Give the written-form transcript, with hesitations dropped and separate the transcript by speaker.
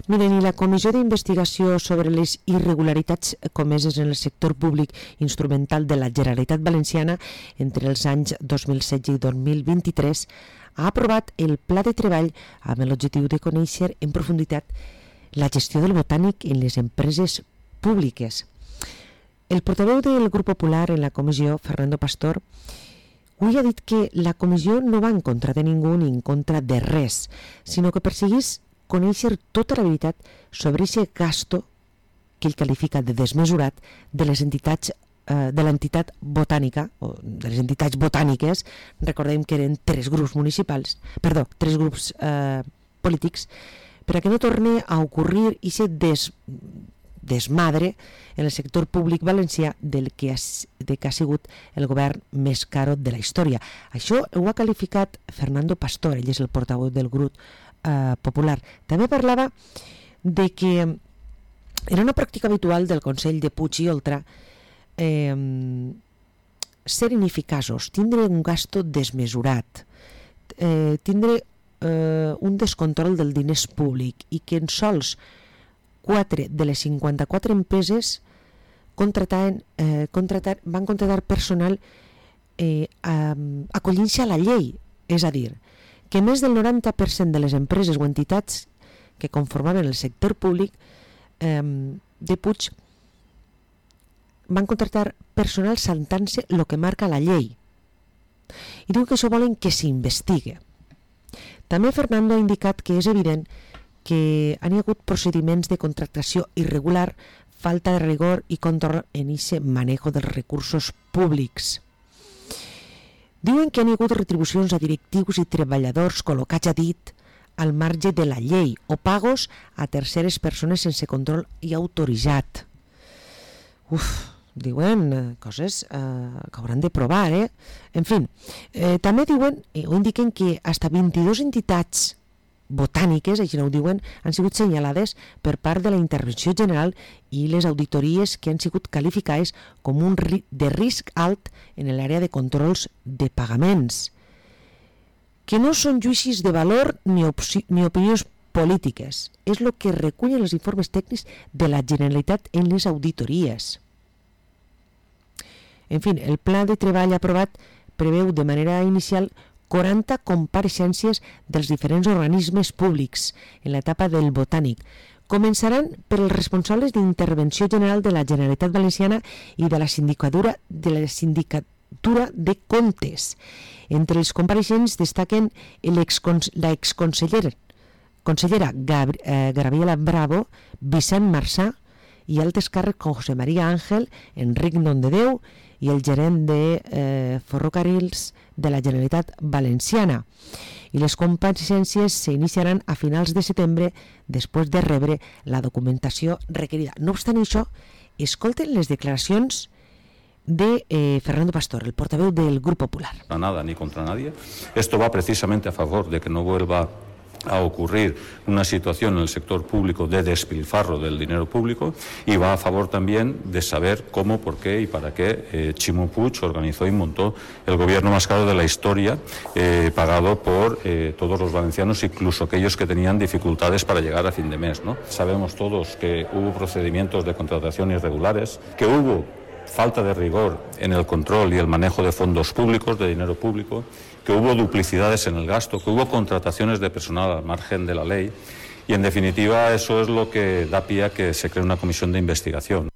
Speaker 1: Miren, i la Comissió d'Investigació sobre les irregularitats comeses en el sector públic instrumental de la Generalitat Valenciana entre els anys 2016 i 2023 ha aprovat el pla de treball amb l'objectiu de conèixer en profunditat la gestió del botànic en les empreses públiques. El portaveu del Grup Popular en la comissió, Fernando Pastor, avui ha dit que la comissió no va en contra de ningú ni en contra de res, sinó que perseguís conèixer tota la veritat sobre aquest gasto que ell qualifica de desmesurat de les entitats de l'entitat botànica, o de les entitats botàniques. Recordem que eren tres grups polítics, per a que no torni a ocorrir aquest desmadre en el sector públic valencià del que ha sigut el govern més caro de la història. Això ho ha qualificat Fernando Pastor, ell és el portaveu del grup popular. També parlava de que era una pràctica habitual del Consell de Puig i Oltra ser ineficaços, tindre un gasto desmesurat, tindre un descontrol del diners públic, i que en sols 4 de les 54 empreses van contratar personal acollint-se a la llei. És a dir, que més del 90% de les empreses o entitats que conformaven el sector públic de Puig van contratar personal saltant-se el que marca la llei. I diu que això volen que s'investigue. També Fernando ha indicat que és evident que han hi hagut procediments de contractació irregular, falta de rigor i control en aquest manejo dels recursos públics. Diuen que han hi hagut retribucions a directius i treballadors col·locats a dit al marge de la llei o pagos a terceres persones sense control i autoritzat. Diuen coses que hauran de provar, En fi, també diuen o indiquen que fins a 22 entitats botàniques, així ho diuen, han sigut senyalades per part de la Intervenció General i les auditories que han sigut qualificades com un de risc alt en l'àrea de controls de pagaments, que no són judicis de valor ni opinions polítiques. És el que recullen els informes tècnics de la Generalitat en les auditories. En fi, el pla de treball aprovat preveu de manera inicial 40 compareixences dels diferents organismes públics en l'etapa del botànic. Començaran per els responsables d'Intervenció General de la Generalitat Valenciana i de la Sindicatura de Comptes. Entre els compareixents destaquen la exconsellera Gabriela Bravo, Vicent Marçà i altres càrrecs com José María Ángel, Enric Nondedeu i el gerent de Ferrocarrils de la Generalitat Valenciana. I les compareixences s'iniciaran a finals de setembre després de rebre la documentació requerida. No obstant això, escolten les declaracions de Fernando Pastor, el portaveu del Grup Popular.
Speaker 2: Nada ni contra nadie. Esto va precisamente a favor de que no vuelva a ocurrir una situación en el sector público de despilfarro del dinero público, y va a favor también de saber cómo, por qué y para qué Ximo Puig organizó y montó el gobierno más caro de la historia, pagado por todos los valencianos, incluso aquellos que tenían dificultades para llegar a fin de mes, ¿no? Sabemos todos que hubo procedimientos de contratación irregulares, que hubo falta de rigor en el control y el manejo de fondos públicos, de dinero público, que hubo duplicidades en el gasto, que hubo contrataciones de personal al margen de la ley, y en definitiva eso es lo que da pie a que se cree una comisión de investigación.